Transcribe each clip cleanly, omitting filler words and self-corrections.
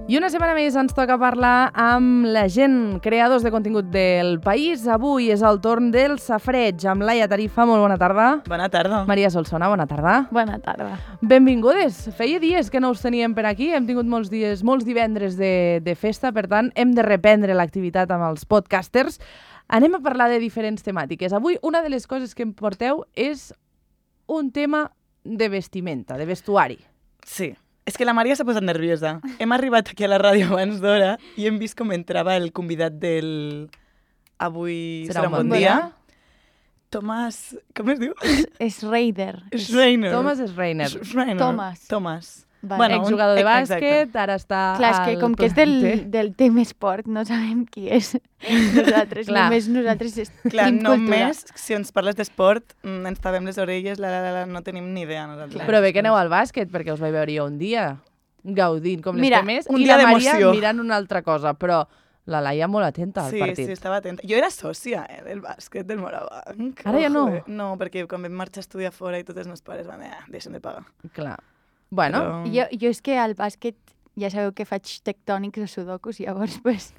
I una setmana més ens toca parlar amb la gent, creadors de contingut del país. Avui és el torn del Safareig, amb Laia Tarifa. Molt bona tarda. Bona tarda. Maria Solsona, bona tarda. Bona tarda. Benvingudes. Feia dies que no us teníem per aquí. Hem tingut molts divendres de festa, per tant, hem de reprendre l'activitat amb els podcasters. Anem a parlar de diferents temàtiques. Avui una de les coses que em porteu és un tema de vestimenta, de vestuari. Sí. És que la Maria s'ha posat nerviosa. Hem arribat aquí a la ràdio abans d'hora i hem vist com entrava el convidat del Avui serà un bon dia. Tomàs... Com es diu? Schreider. Schreiner. Tomàs Schreiner. Tomàs. Vale. Exjugador de bàsquet, ara està clar, és que com que és del tema esport, no sabem qui és. Nosaltres Clar, només si ens parles d'esport ens tapem les orelles, no tenim ni idea. Nosaltres. Però bé que aneu al bàsquet, perquè us vaig veure jo un dia gaudint com les temes, i la Maria mirant una altra cosa, però la Laia molt atenta al partit. Sí, estava atenta. Jo era sòcia del bàsquet del Morabanc. Ara ja no? No, perquè quan vam marxar a estudiar fora i tots els meus pares van dir, deixen de pagar. Clar. Bueno. Però... Jo és que al bàsquet ja sabeu que faig tectònics o sudokus, llavors, pues...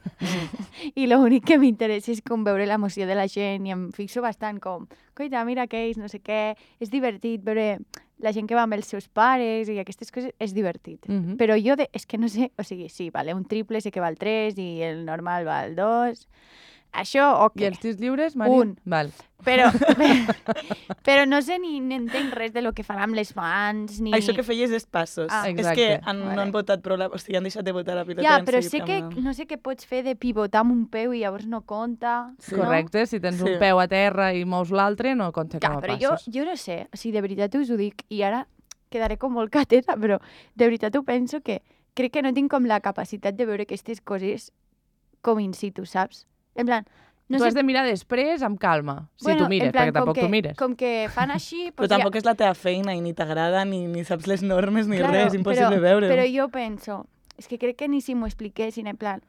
I l'únic que m'interessa és com veure l'emoció de la gent i em fixo bastant com, coita, mira aquells, no sé què, és divertit veure la gent que va amb els seus pares i aquestes coses, és divertit. Però jo, és que no sé, o sigui, sí, vale, un triple sé que va al 3 i el normal va al 2... Això, ok. I els tirs lliures, Maria? Un. Val. Però no sé ni entenc res de lo que fan amb les mans, ni... Això que feies és passos. És que no han votat prou o sigui, han deixat de votar la pilota. Ja, però sé que no sé què pots fer de pivotar amb un peu i llavors no compta. Sí. Correcte, si tens un peu a terra i mous l'altre, no compta com a passos. Però jo no sé, o sigui, de veritat us ho dic, i ara quedaré com molt cateta, però de veritat ho penso que crec que no tinc com la capacitat de veure aquestes coses com in situ, saps? En plan, tu has de mirar després amb calma, si tu mires, perquè tampoc tu mires. Com que fan així... Però tampoc és la teva feina i ni t'agrada, ni saps les normes, ni res, és impossible veure-ho. Però jo penso, és que crec que ni si m'ho expliquessin, en plan...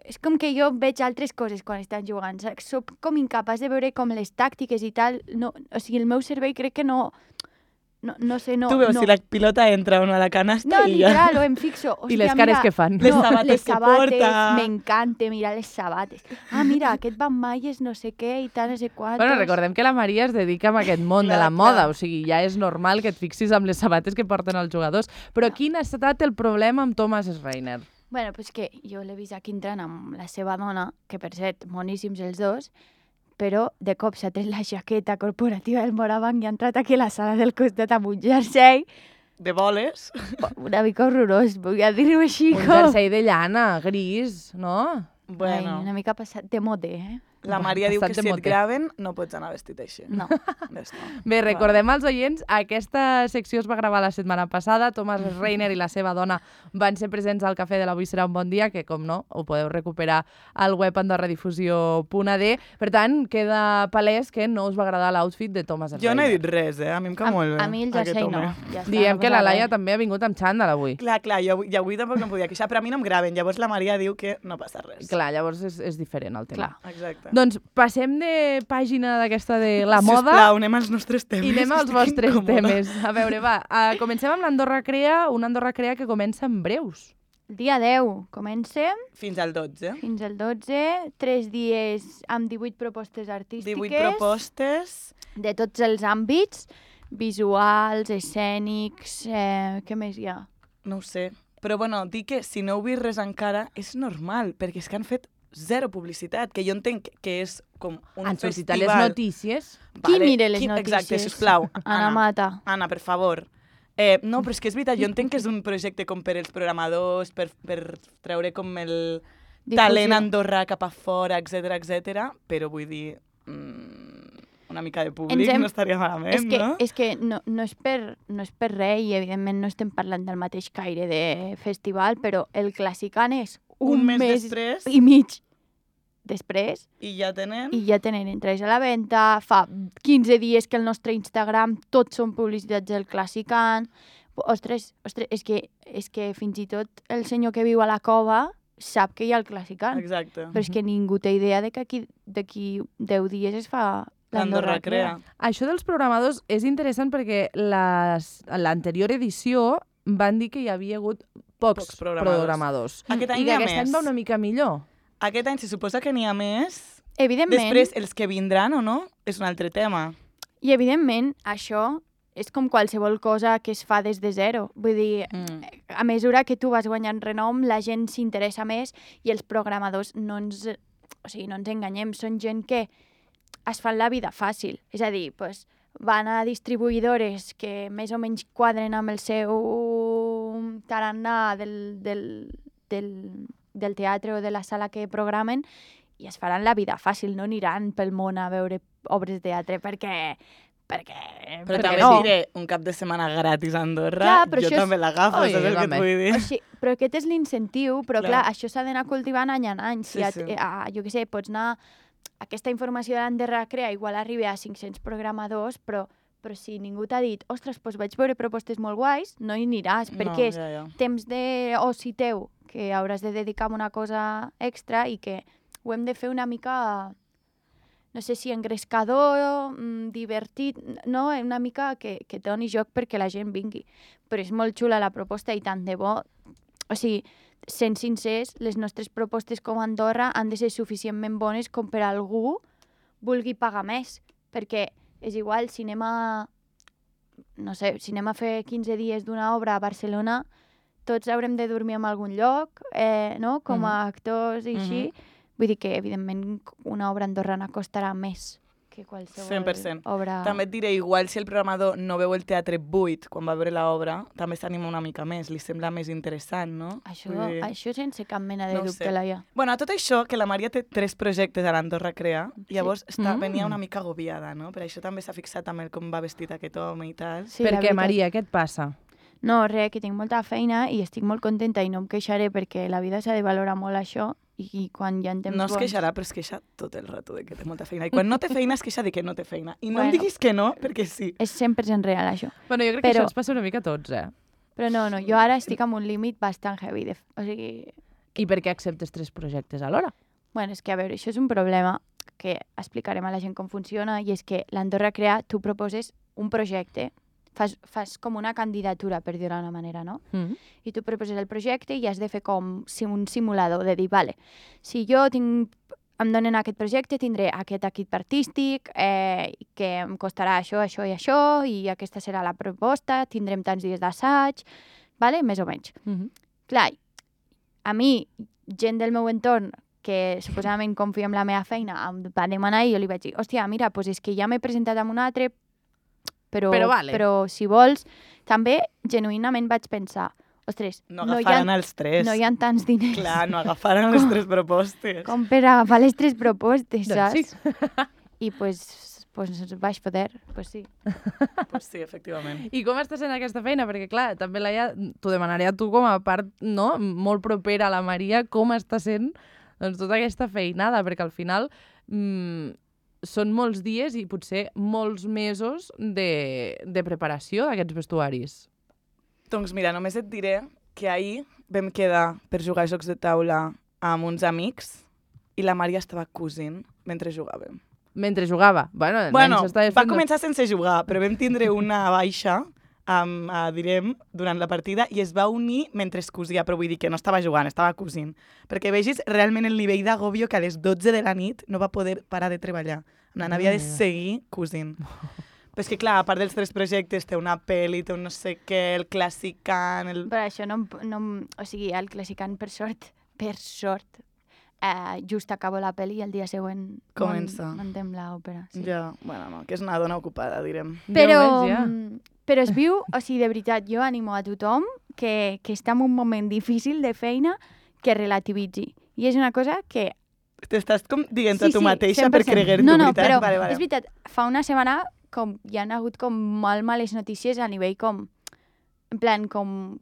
És com que jo veig altres coses quan estan jugant, soc com incapaç de veure com les tàctiques i tal, o sigui, el meu cervell crec que no... No sé, no... Tu veus si la pilota entra o no a la canasta i ja... No, literal, em fixo. I les cares que fan. Les sabates que porta... M'encanta mirar les sabates. Ah, mira, aquest va amb malles no sé què i tal, no sé quantos... Bueno, recordem que la Maria es dedica a aquest món de la moda, o sigui, ja és normal que et fixis amb les sabates que porten els jugadors. Però quin ha estat el problema amb Tomàs Schreiner? Bueno, pues que jo l'he vist aquí entrant amb la seva dona, que per cert, moníssims els dos, però de cop s'ha tret la jaqueta corporativa del Morabanc i ha entrat aquí a la sala del costat amb un jersei. De boles. Una mica horrorós, vull dir-ho així. Un jersei de llana, gris, no? Bueno. Ai, una mica passat de moda, La Maria diu que si et graven no pots anar vestit així. No. Bé, recordem als oients, aquesta secció es va gravar la setmana passada, Tomàs Schreiner i la seva dona van ser presents al Cafè de l'Avui serà un bon dia, que com no, ho podeu recuperar al web andorradifusió.ad. Per tant, queda palès que no us va agradar l'outfit de Tomàs Schreiner. Jo no he dit res, a mi em cau molt bé. A mi el jersei no. Ja diem que la Laia també ha vingut amb xandall avui. Clar, i avui tampoc no em podia queixar, però a mi no em graven, llavors la Maria diu que no passa res. Clar, llavors és diferent el tema. Clar, exacte. Doncs passem de pàgina d'aquesta de la moda. Sisplau, anem als nostres temes. I anem als vostres temes. A veure, va, comencem amb l'Andorra Crea, una Andorra Crea que comença en breus. Dia 10, comencem. Fins al 12. Fins al 12, 3 dies amb 18 propostes artístiques. 18 propostes. De tots els àmbits, visuals, escènics, què més hi ha? No ho sé. Però bueno, dic que si no heu vist res encara, és normal, perquè és que han fet zero publicitat, que jo entenc que és com un han festival. sortit a les notícies. Qui mira les notícies? Exacte, sisplau. Anna Mata. Anna, per favor. No, però és que és veritat, jo entenc que és un projecte com per als programadors, per treure com el talent andorrà cap a fora, etc, però vull dir... una mica de públic no estaria malament, no? És que no és per res i evidentment no estem parlant del mateix caire de festival, però el Classicant és un mes després i mig després. I ja tenen entrades a la venda. Fa 15 dies que el nostre Instagram tots són publicitats del Classicant. Ostres, és que fins i tot el senyor que viu a la cova sap que hi ha el Classicant. Exacte. Però és que ningú té idea de que d'aquí 10 dies es fa l'Andorra Crea. Això dels programadors és interessant perquè l'anterior edició van dir que hi havia hagut pocs programadors. Aquest any I n'hi que ha aquest any més. va una mica millor. Aquest any se suposa que n'hi ha més. Evidentment, Després, els que vindran o no, és un altre tema. i evidentment, això és com qualsevol cosa que es fa des de zero. Vull dir, a mesura que tu vas guanyant renom, la gent s'interessa més i els programadors no ens enganyem, són gent que es fan la vida fàcil. És a dir, pues, van a distribuïdores que més o menys quadren amb el seu tarannà del teatre o de la sala que programen i es faran la vida fàcil, no aniran pel món a veure obres de teatre perquè Però també no. Diré un cap de setmana gratis a Andorra, clar, jo també l'agafo, Oi, saps el que et vull dir? O sigui, però aquest és l'incentiu, però clar, això s'ha d'anar cultivant any en any. Sí, sí. Jo què sé, pots anar... Aquesta informació de l'Andorra Crea igual arriba a 500 programadors, però si ningú t'ha dit, ostres, doncs vaig veure propostes molt guais, no hi aniràs, perquè és temps d'oci teu que hauràs de dedicar a una cosa extra i que ho hem de fer una mica... no sé si engrescador, divertit, no? Una mica que doni joc perquè la gent vingui. Però és molt xula la proposta i tant de bo. O sigui, sent sincers, les nostres propostes com a Andorra han de ser suficientment bones com per algú vulgui pagar més. Perquè és igual, si anem a fer 15 dies d'una obra a Barcelona, tots haurem de dormir en algun lloc, no? Com a actors i així. Vull dir que, evidentment, una obra andorrana costarà més que qualsevol 100%. obra... També et diré, igual si el programador no veu el teatre buit quan va veure l'obra, també s'anima una mica més, li sembla més interessant, no? Això sense cap mena de dubte, Laia. Bueno, a tot això, que la Maria té 3 projectes a l'Andorra Crea, llavors venia una mica agobiada, no? Per això també s'ha fixat amb com va vestit aquest home i tal. Sí, per què, Maria, què et passa? No, res, que tinc molta feina i estic molt contenta i no em queixaré perquè la vida s'ha de valorar molt això i quan hi ha temps no es queixarà, però es queixa tot el rato de que té molta feina. I quan no té feina, es queixa de que no té feina. I no em diguis que no, perquè sí. És 100% real, això. Bueno, jo crec que això ens passa una mica a tots, Però no, jo ara estic amb un límit bastant heavy. O sigui... I per què acceptes 3 projectes alhora? Bueno, és que, a veure, això és un problema que explicarem a la gent com funciona i és que l'Andorra Crea, tu proposes un projecte, fas com una candidatura, per dir-ho d'una manera, no? I tu proposes el projecte i has de fer com un simulador, de dir, vale, si jo em donen aquest projecte, tindré aquest equip artístic, que em costarà això, això i això, i aquesta serà la proposta, tindrem tants dies d'assaig, vale? Més o menys. Clar, a mi, gent del meu entorn, que suposadament confia en la meva feina, em va demanar i jo li vaig dir, hòstia, mira, doncs és que ja m'he presentat amb un altre, però si vols, també genuïnament vaig pensar, ostres, no agafaran els 3. No hi ha tants diners. Clar, no agafaran les 3 propostes. Com per agafar les 3 propostes, saps? Sí. I pues vaig poder, pues sí. Pues sí, efectivament. I com està sent aquesta feina? Perquè, clar, també t'ho demanaré a tu com a part, no?, molt propera a la Maria, com està sent doncs, tota aquesta feinada, perquè al final són molts dies i potser molts mesos de preparació d'aquests vestuaris. Doncs mira, només et diré que ahir vam quedar per jugar a jocs de taula amb uns amics i la Maria estava cosint mentre jugàvem. Mentre jugava? Bueno, va començar sense jugar, però vam tindre una baixa, direm, durant la partida i es va unir mentre es cosia, però vull dir que no estava jugant, estava cosint. Perquè vegis realment el nivell d'agòbio que a les 12 de la nit no va poder parar de treballar. Havia de seguir cosint. Però és que, clar, a part dels 3 projectes, té una pel·li, té un no sé què, el Classicant... Però això no... O sigui, el Classicant, per sort, just acabo la pel·li i el dia següent muntem l'òpera. Sí. Ja, bueno, no, que és una dona ocupada, direm. Però es viu, o sigui, de veritat, jo animo a tothom que està en un moment difícil de feina que relativitzi. I és una cosa que... T'estàs com dient a tu mateixa per creguer-t'ho, no, veritat? No, però és veritat, fa una setmana com hi ha hagut com molt males notícies a nivell com... En plan, com...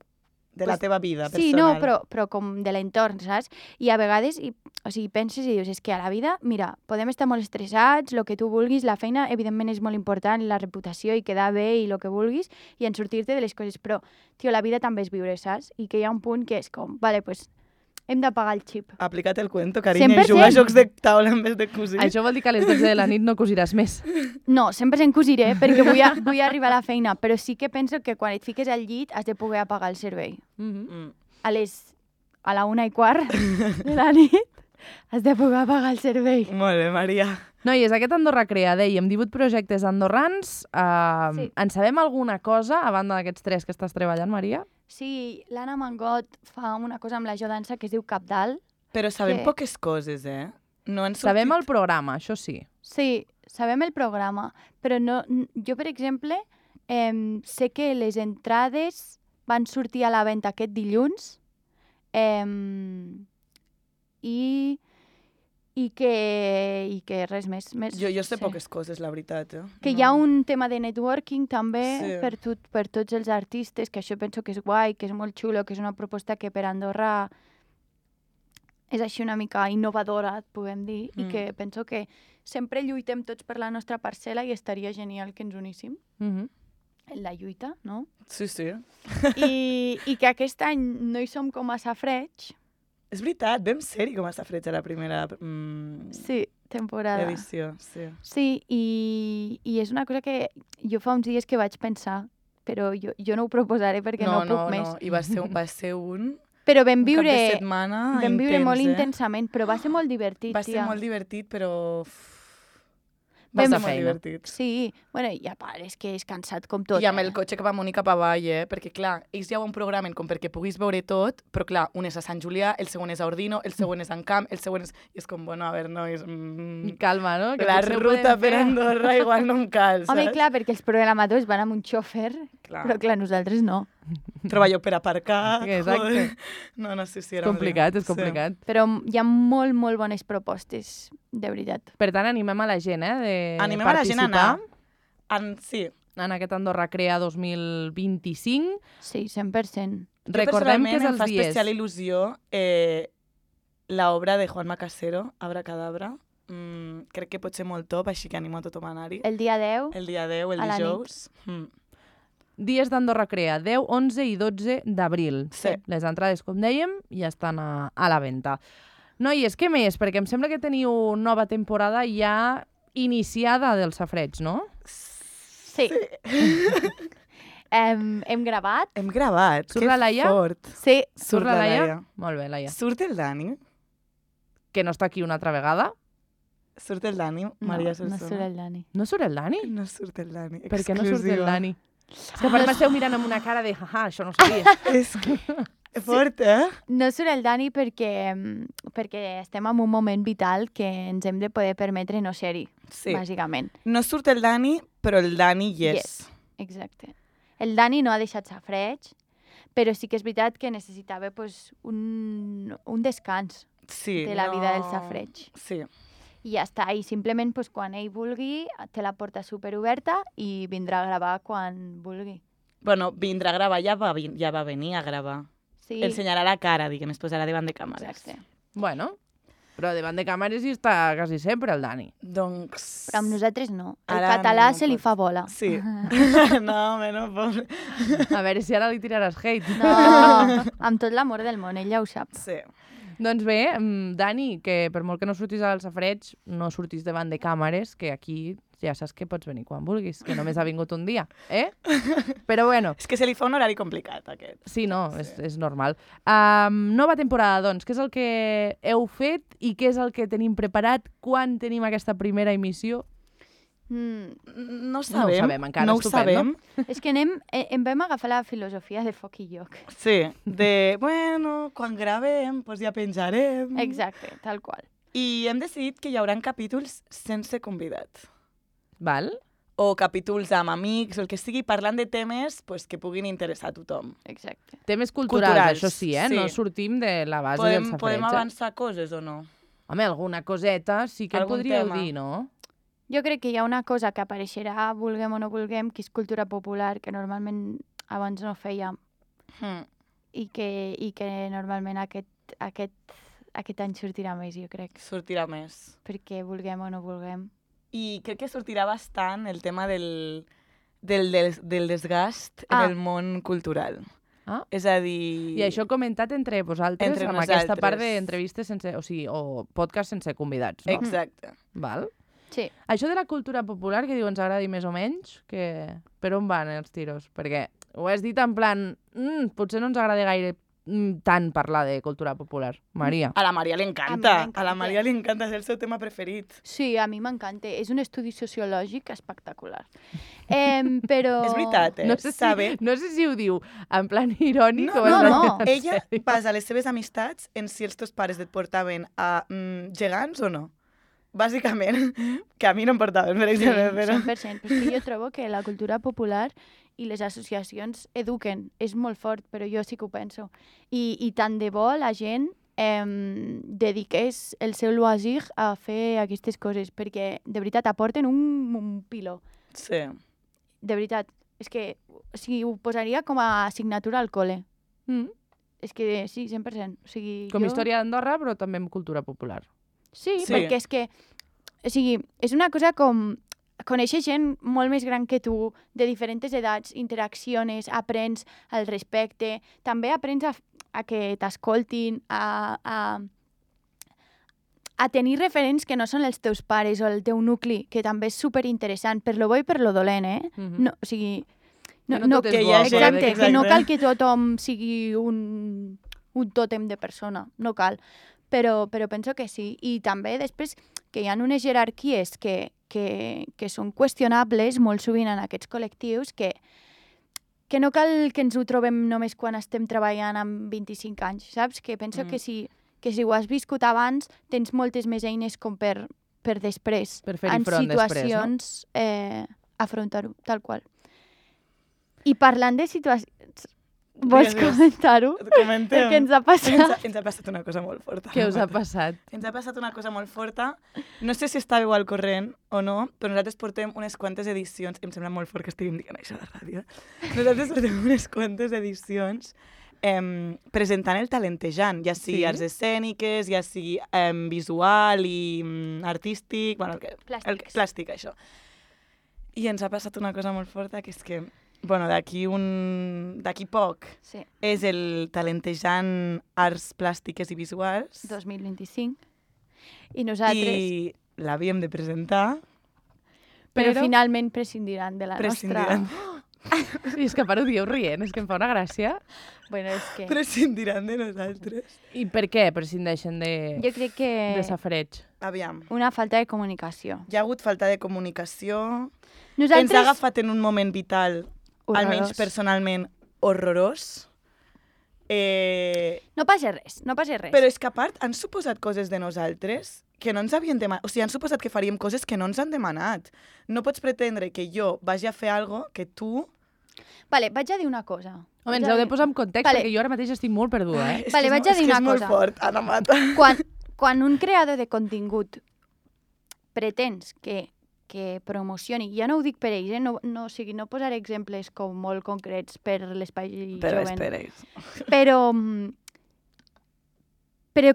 De la teva vida personal. Sí, no, però com de l'entorn, saps? I a vegades, o sigui, penses i dius, és que a la vida, mira, podem estar molt estressats, el que tu vulguis, la feina, evidentment, és molt important, la reputació i quedar bé i el que vulguis, i en sortir-te de les coses, però, tio, la vida també és viure, saps? I que hi ha un punt que és com, vale, pues, Hem de pagar el xip. Aplica't el cuento, carinyo, 100%. i juga a jocs de taula en vez de cosir. Això vol dir que a les 12 de la nit no cosiràs més. No, sempre se'n cosiré perquè vull arribar a la feina, però sí que penso que quan et fiques al llit has de poder apagar el servei. A la 1:15 de la nit has de poder apagar el servei. Molt bé, Maria. Noies, aquest Andorra Crea, dèiem, 18 projectes andorrans. Sí. En sabem alguna cosa, a banda d'aquests 3 que estàs treballant, Maria? Sí, l'Anna Mangot fa una cosa amb la Jodança que es diu Cabdal. Però sabem Que- poques coses, No han sortit... Sabem el programa, això sí. Sí, sabem el programa, però no, jo, per exemple, sé que les entrades van sortir a la venda aquest dilluns i que res més. Jo sé sí. poques coses, la veritat. Que hi ha un tema de networking també Sí. per tots els artistes, que això penso que és guai, que és molt xulo, que és una proposta que per Andorra és així una mica innovadora, et puguem dir, i que penso que sempre lluitem tots per la nostra parcel·la i estaria genial que ens uníssim en la lluita, no? Sí, sí. I que aquest any no hi som com a Safareig. És veritat, vam ser-hi com a Safareig a la primera Sí, temporada. edició. Sí. Sí, i és una cosa que jo fa uns dies que vaig pensar, però jo no ho proposaré perquè no puc més. No, i va ser un Però vam cap de viure, setmana vam viure intens, molt intensament, però va ser molt divertit, Va ser tia. molt divertit, però... Va Va ser ser molt feina. divertit. Sí, bueno, i a part és que és cansat com tot. I amb el cotxe cap amunt i cap avall, perquè clar, ells ja ho han programen com perquè puguis veure tot, però clar, un és a Sant Julià, el següent és a Ordino, el següent és a Encamp, el següent és... I és com, bueno, a veure, nois... Calma, no? Que La potser ho ruta podem per fer. Andorra igual no em cal, Home, saps? clar, perquè els programadors van amb un xòfer, Clar. però clar, nosaltres no. Treballeu per aparcar... Exacte. joder. No, sí, És era un complicat, lío. és complicat. Però hi ha molt, molt bones propostes, de veritat. Per tant, animem a la gent, de Animem a la gent a participar anar. Sí. en aquest Andorra Crea 2025. Sí, 100%. Jo Recordem que és personalment em els fa dies. especial il·lusió l'obra de Juan Macasero, Abracadabra. Crec que pot ser molt top, així que animo a tothom a anar-hi. El dia 10, El dia 10, el a la nit. dijous. Dies d'Andorra Crea, 10, 11 i 12 d'abril. Sí. Les entrades, com dèiem, ja estan a la venda. Noies, què més? Perquè em sembla que teniu nova temporada ja iniciada del Safareig, no? sí. Hem gravat. Hem gravat. Surt que la Laia? fort. Sí, Surt la Laia. Molt bé, Laia. Surt el Dani. Que no està aquí una altra vegada. Surt el Dani, no, Maria no Solsona. surt el Dani. No surt el Dani? No surt el Dani. Per què no surt el Exclusiva. Dani? És que a part m'esteu mirant amb una cara de jaja, això no ho sabia. És que... Fort, No surt el Dani perquè estem en un moment vital que ens hem de poder permetre no ser-hi, Sí. bàsicament. No surt el Dani, però el Dani yes. Exacte. El Dani no ha deixat Safareig, però sí que és veritat que necessitava pues, un descans Sí. de la vida del Safareig. Sí. I ja està, i simplement pues, quan ell vulgui té la porta superoberta i vindrà a gravar quan vulgui. Bueno, vindrà a gravar, ja va venir a gravar. Sí, Ensenyarà la cara, diguem, es posarà davant de càmeres. exacte. Bueno, però davant de càmeres hi està quasi sempre el Dani. Doncs... Però amb nosaltres no. El Ara català no se li pot. fa bola. Sí. No, home, no, pobre. A veure si ara li tiraràs hate. No, amb tot l'amor del món, ell ja ho sap. Sí. Doncs bé, Dani, que per molt que no surtis al Safareig, no surtis davant de càmeres, que aquí ja saps que pots venir quan vulguis, que només ha vingut un dia, Però bueno, És que se li fa un horari complicat, aquest. sí, no, és normal. Nova temporada, doncs, què és el que heu fet i què és el que tenim preparat quan tenim aquesta primera emissió? No ho sabem. sabem. encara, No ho estupendo. sabem. És que em vam agafar la filosofia de foc i lloc. Sí, de, bueno, quan gravem, doncs ja penjarem. Exacte, tal qual. I hem decidit que hi haurà capítols sense convidat. Val? O capítols amb amics, o el que sigui, parlant de temes pues, que puguin interessar a tothom. Exacte. Temes culturals, Culturals, això sí, sí. No sortim de la base del Safareig. Podem avançar coses o no? Home, alguna coseta sí que Algun podríeu tema. dir, no? Jo crec que hi ha una cosa que apareixerà, vulguem o no vulguem, que és cultura popular, que normalment abans no fèiem i que normalment aquest any sortirà més, jo crec, Sortirà més. perquè vulguem o no vulguem. I crec que sortirà bastant el tema del desgast en el món cultural. Ah. És a dir... I això comentat entre vosaltres, Entre amb aquesta part nosaltres. d'entrevistes sense... O sigui, o podcast sense convidats, no? Exacte. Val? Sí. Això de la cultura popular, que diu ens agradi més o menys, que... per on van els tiros? Perquè ho has dit en plan... potser no ens agrada gaire tant parlar de cultura popular. Maria. A la Maria li encanta. m'encanta. A la Maria li encanta, és el seu tema preferit. Sí, a mi m'encanta. És un estudi sociològic espectacular. Però... És veritat, No sé, sabe? no sé si ho diu en plan irònic o no, en no. plan Ella sèrio. basa les seves amistats en si els teus pares et portaven a gegants o no. Bàsicament, que a mi no em portaven, per Sí, exemple, però... 100%. Però és que jo trobo que la cultura popular i les associacions eduquen. És molt fort, però jo sí que ho penso. I tant de bo la gent dediqués el seu loisir a fer aquestes coses, perquè de veritat aporten un piló. Sí. De veritat. És que o sigui, ho posaria com a assignatura al col·le. És que sí, 100%. O sigui, Com jo... història d'Andorra, però també amb cultura popular. Sí, Sí. perquè és que... O sigui, és una cosa com... Coneixes gent molt més gran que tu, de diferents edats, interacciones, aprens al respecte, també aprens a que t'escoltin, a tenir referents que no són els teus pares o el teu nucli, que també és superinteressant, per lo bo i per lo dolent, eh? No, o sigui... Que no tot és que bo, hi ha gent- exacte, que no exacte. cal que tothom sigui un tòtem de persona, no cal. Però penso que sí. I també després que hi ha unes jerarquies que són qüestionables molt sovint en aquests col·lectius que no cal que ens ho trobem només quan estem treballant amb 25 anys, saps? Que penso que si ho has viscut abans tens moltes més eines com per després, Per fer-hi en front després, situacions afrontar-ho, tal qual. I parlant de situacions... Vols Digues. comentar-ho? Comentem. Perquè ens ha passat. Ens ha passat una cosa molt forta. Què us ha passat? Ens ha passat una cosa molt forta. No sé si estàveu al corrent o no, però nosaltres portem unes quantes edicions. Em sembla molt fort que estiguem dient això a la ràdio. Nosaltres portem unes quantes edicions presentant el talentejant, ja sigui Sí? arts escèniques, ja sigui visual i artístic, bueno, Plàstics. plàstic, això. I ens ha passat una cosa molt forta, que és que bueno, d'aquí poc Sí, és el talentejant arts plàstiques i visuals 2025. I nosaltres... i l'havíem de presentar. Però Però- finalment prescindiran de la Prescindiran, I és que a part ho dieu rient, és que em fa una gràcia. Bueno, és que... prescindiran de nosaltres. I per què prescindeixen Jo crec que de safareig? Aviam. una falta de comunicació. Hi ha hagut falta de comunicació. Ens Nosaltres... ha agafat en un moment vital, almenys Horrorós. personalment, horrorós. No passa res, no passa res. Però és que a part han suposat coses de nosaltres que no ens havien demanat. O sigui, han suposat que faríem coses que no ens han demanat. No pots pretendre que jo vagi a fer algo que tu... Vale, vaig a dir una cosa. Home, ens heu de posar en context, Vale. perquè jo ara mateix estic molt perduda, eh? És Vale, que vaig a dir una és molt cosa. fort, Anna Mata. Quan un creador de contingut pretens que promocioni, ja no ho dic per ells, no, o sigui, no posaré exemples com molt concrets per l'espai jovent, però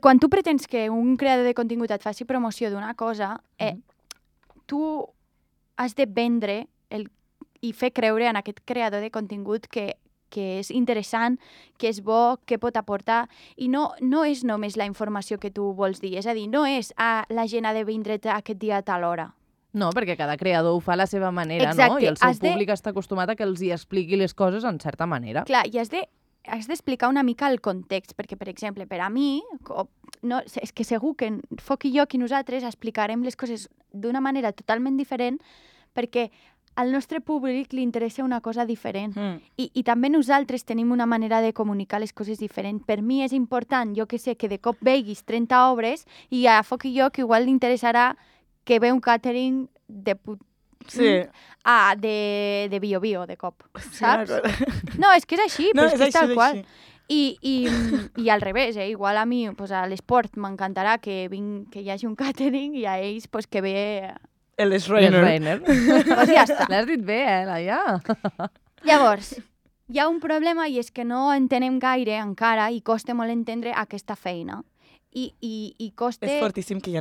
quan tu pretens que un creador de contingut et faci promoció d'una cosa, tu has de vendre i fer creure en aquest creador de contingut que és interessant, que és bo, que pot aportar, i no és només la informació que tu vols dir, és a dir, no és la gent ha de vindre aquest dia a tal hora. No, perquè cada creador ho fa a la seva manera, no? Exacte, I el seu has de- públic està acostumat a que els hi expliqui les coses en certa manera. Clar, i has d'explicar una mica el context, perquè, per exemple, per a mi, no, és que segur que Foc i jo i nosaltres explicarem les coses d'una manera totalment diferent, perquè al nostre públic li interessa una cosa diferent. I també nosaltres tenim una manera de comunicar les coses diferent. Per mi és important, jo que sé, que de cop veguis 30 obres i a Foc i jo que igual li interessarà que ve un catering de de Bio-Bio, de cop, saps? No, és que és així, però és que és tal qual. I al revés, igual a mi pues, a l'esport m'encantarà que hi hagi un catering i a ells pues, que ve... El Les Reiner. Reiner. Pues ja està. L'has dit bé, Laia? Llavors, hi ha un problema i és que no entenem gaire encara i costa molt entendre aquesta feina. I costa... És fortíssim que ja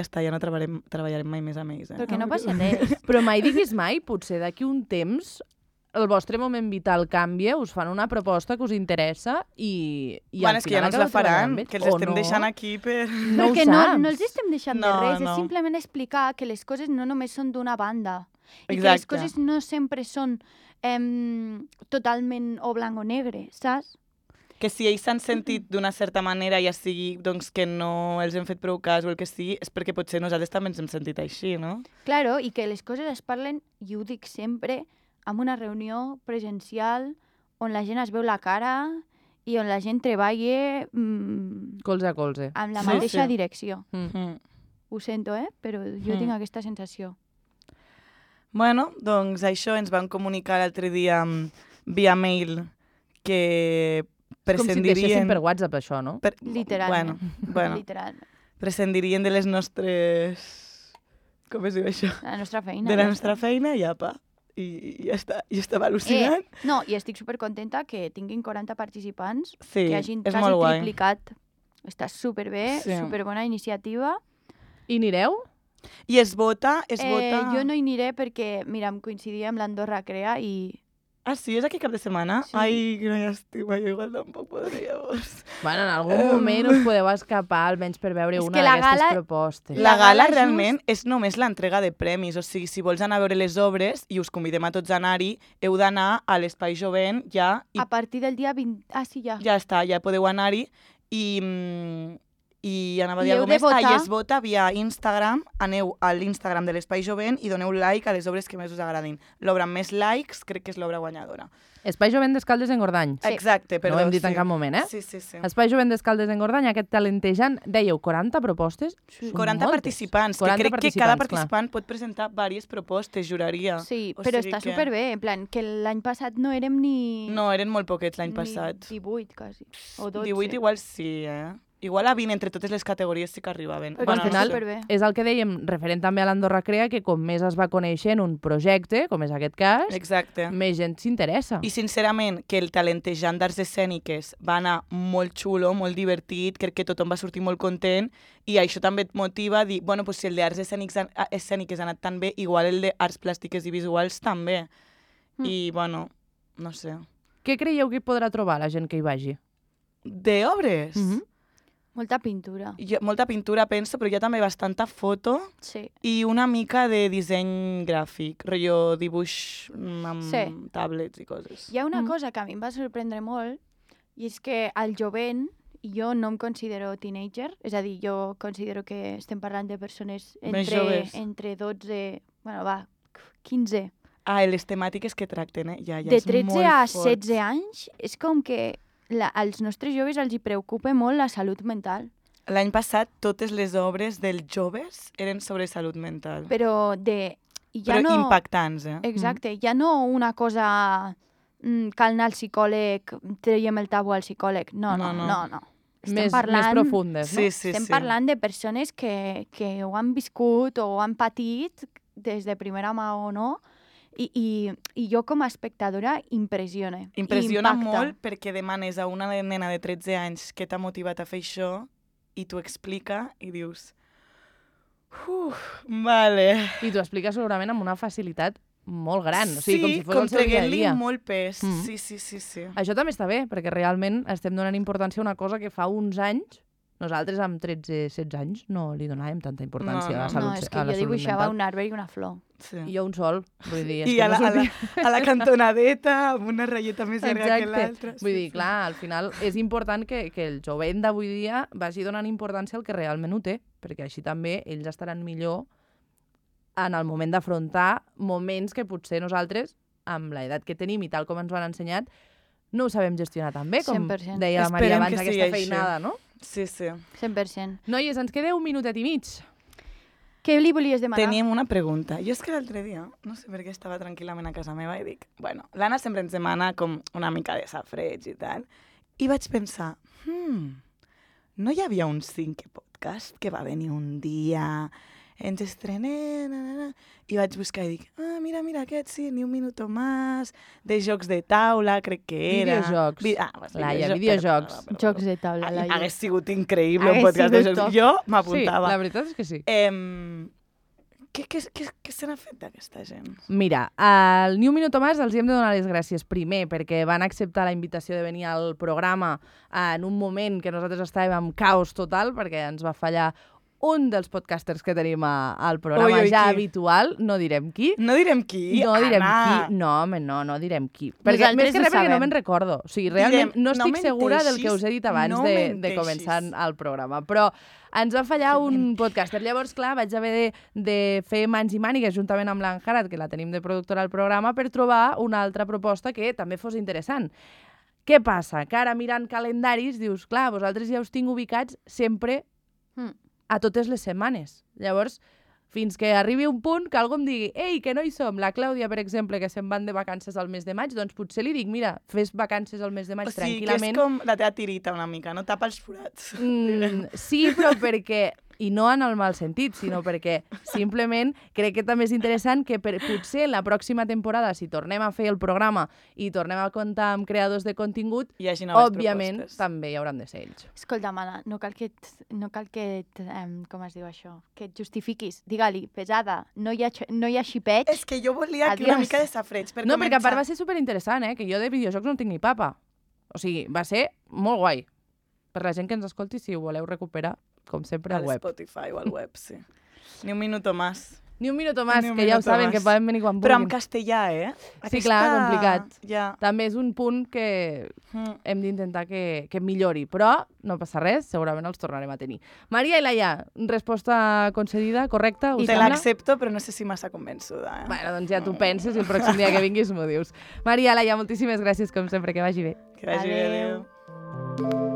està, ja no treballarem mai més amb ells. Perquè no passa res. Però mai diguis mai, potser d'aquí un temps el vostre moment vital canvia, us fan una proposta que us interessa i Bueno, és que ja no ens la faran, que els estem deixant aquí per... No ho Perquè saps. no els estem deixant de No, res, no. és simplement explicar que les coses no només són d'una banda. I que les Exacte. coses no sempre són totalment o blanc o negre, saps? Que si ells s'han sentit d'una certa manera, ja sigui doncs, que no els hem fet prou cas o el que sigui, és perquè potser nosaltres també ens hem sentit així, no? Claro, i que les coses es parlen, i ho dic sempre, en una reunió presencial on la gent es veu la cara i on la gent treballa Colze a colze. amb la Sí, mateixa sí. direcció. Mm. Ho sento, però jo tinc aquesta sensació. Bueno, doncs això ens van comunicar l'altre dia via mail que Com si et deixessin prescindirien... per WhatsApp, això, no? Literalment. Bueno, Literalment. prescindirien de les nostres... Com es diu això? La nostra feina. De la ja nostra està. feina i apa. I ja està. Jo estava al·lucinant. No, i estic supercontenta que tinguin 40 participants, Sí, que hagin és quasi molt guai. triplicat. Està superbé, Sí. superbona iniciativa. I anireu? I es vota... Jo no hi aniré perquè, mira, em coincidia amb l'Andorra Crea i... Ah, sí? És aquí cap de setmana? Sí. Ai, quina llàstima, jo igual tampoc podria. Bueno, en algun moment us podeu escapar, almenys per veure És una que la d'aquestes gala- propostes. La La gala gala realment és només l'entrega de premis, o sigui, si vols anar a veure les obres, i us convidem a tots a anar-hi, heu d'anar a l'Espai Jovent ja, i A partir del dia 20... Ah, sí, ja. ja està, ja podeu anar-hi, i anava a dir I heu alguna de més. votar. I es vota via Instagram, aneu a l'Instagram de l'Espai Jovent i doneu like a les obres que més us agradin. L'obra amb més likes crec que és l'obra guanyadora. Espai Jovent d'Escaldes en Gordany. Sí. Exacte, però No ho hem dit en cap moment, eh? Sí, sí, sí. Espai Jovent d'Escaldes en Gordany, aquest talentejant, dèieu 40 propostes? Són 40 moltes. participants, 40 que crec que cada participants, clar. participant pot presentar diverses propostes, juraria. Sí, O però sigui està que- superbé, en plan, que l'any passat no érem ni... No, eren molt poquets l'any ni passat. 18, quasi. O 12. 18 igual sí, eh? Igual a 20 entre totes les categories sí que arribaven. Perquè Bueno, està al final- superbé. És el que dèiem, referent també a l'Andorra Crea, que com més es va coneixent un projecte, com és aquest cas, Exacte. més gent s'interessa. I sincerament, que el talentejant d'arts escèniques va anar molt xulo, molt divertit, crec que tothom va sortir molt content, i això també et motiva a dir, bueno, pues si el d'arts escèniques ha anat tan bé, igual el d'arts plàstiques i visuals també. I, bueno, no sé. Què creieu que hi podrà trobar la gent que hi vagi? D'obres? Molta pintura. Molta pintura, penso, però hi ha també bastanta foto Sí. i una mica de disseny gràfic, rotllo dibuix amb Sí. tablets i coses. Hi ha una cosa que a mi em va sorprendre molt, i és que al jovent, i jo no em considero teenager, és a dir, jo considero que estem parlant de persones Més joves. entre 12, bueno, va, 15. Ah, les temàtiques que tracten, ja De és 13 molt a fort. 16 anys, és com que als nostres joves els hi preocupa molt la salut mental. L'any passat totes les obres dels joves eren sobre salut mental. Però i ja Però no... impactants, eh? Exacte, ja no una cosa cal anar al psicòleg, traiem el tabú al psicòleg. No. Estem Més profundes, no? Sí, sí, Estem sí. parlant de persones que ho han viscut o ho han patit des de primera mà o no, i jo com a espectadora impressiona. Impressiona impacta. molt perquè demanes a una nena de 13 anys què t'ha motivat a fer això i t'ho explica i dius... Vale. I t'ho explica segurament amb una facilitat molt gran. O sigui, com si fos com el seu dia a traient-li dia. molt pes. Mm. Sí. Això també està bé, perquè realment estem donant importància a una cosa que fa uns anys, nosaltres amb 13-16 anys no li donàvem tanta importància a la salut, No, és que a la jo salut dibuixava mental. un arbre i una flor. Sí. I jo un sol, vull dir... és I que a no la, sortia. a la cantonadeta, amb una ratlleta més llarga que l'altra. Vull dir, clar, al final és important que el jovent d'avui dia vagi donant importància al que realment ho té, perquè així també ells estaran millor en el moment d'afrontar moments que potser nosaltres, amb l'edat que tenim i tal com ens ho han ensenyat, no ho sabem gestionar tan bé, com 100%. deia la Maria Esperem abans, que aquesta sigui així. feinada, no? Sí. 100%. Noies, ens queda un minutet i mig. Què li volies demanar? Teníem una pregunta. Jo és que l'altre dia, no sé per què estava tranquil·lament a casa meva i dic, bueno, l'Anna sempre ens demana com una mica de safreig i tal, i vaig pensar, no hi havia un 5 podcast que va venir un dia, ens estrenem, i vaig buscar i dic, mira, aquest sí, ni un minuto más, de jocs de taula, crec que era. Videojocs. Laia, videojocs. Jocs de taula, Laia. Hagués sigut increïble un Hagués podcast de sigut jocs. top. Jo Sí, m'apuntava. la veritat és que sí. Què se n'ha fet d'aquesta gent? Mira, al Ni un minut més els hem de donar les gràcies primer perquè van acceptar la invitació de venir al programa en un moment que nosaltres estàvem en caos total perquè ens va fallar un dels podcasters que tenim al programa ja habitual, no direm qui. No direm qui? No direm qui. No, home, no direm qui. Perquè, més que res perquè no me'n recordo. O sigui, realment no estic segura del que us he dit abans de començar el programa. Però ens va fallar un podcaster. Llavors, clar, vaig haver de fer mans i mànigues juntament amb l'Anjarat, que la tenim de productora al programa, per trobar una altra proposta que també fos interessant. Què passa? Que ara mirant calendaris dius, clar, vosaltres ja us tinc ubicats sempre a totes les setmanes. Llavors, fins que arribi un punt que algú em digui ei, que no hi som. La Clàudia, per exemple, que se'n van de vacances al mes de maig, doncs potser li dic, mira, fes vacances al mes de maig tranquil·lament. O sigui, que és com la teva tirita una mica, no? Tapa els forats. Sí, però perquè... I no en el mal sentit, sinó perquè simplement crec que també és interessant que potser la pròxima temporada, si tornem a fer el programa i tornem a comptar amb creadors de contingut, òbviament també hi hauran de ser ells. Escolta, Mana, no cal que com es diu això? Que et justifiquis. Digue-li, pesada, no hi ha xipeig. És que jo volia aquí una mica de safreig per començar. No, perquè a part va ser superinteressant, que jo de videojocs no tinc ni papa. O sigui, va ser molt guai. Per la gent que ens escolti, si ho voleu recuperar, com sempre, al web. A Spotify o al web, sí. Ni un minuto más. Ni un minuto más, que ja ho saben, que poden venir quan vulguin. Però en castellà, Sí, clar, complicat. Ja. També és un punt que hem d'intentar que millori, però no passa res, segurament els tornarem a tenir. Maria i Laia, resposta concedida, correcta? Te l'accepto, però no sé si massa convençuda. Bueno, doncs ja t'ho penses i el pròxim dia que vinguis m'ho dius. Maria, Laia, moltíssimes gràcies, com sempre, que vagi bé. Que vagi bé, adéu.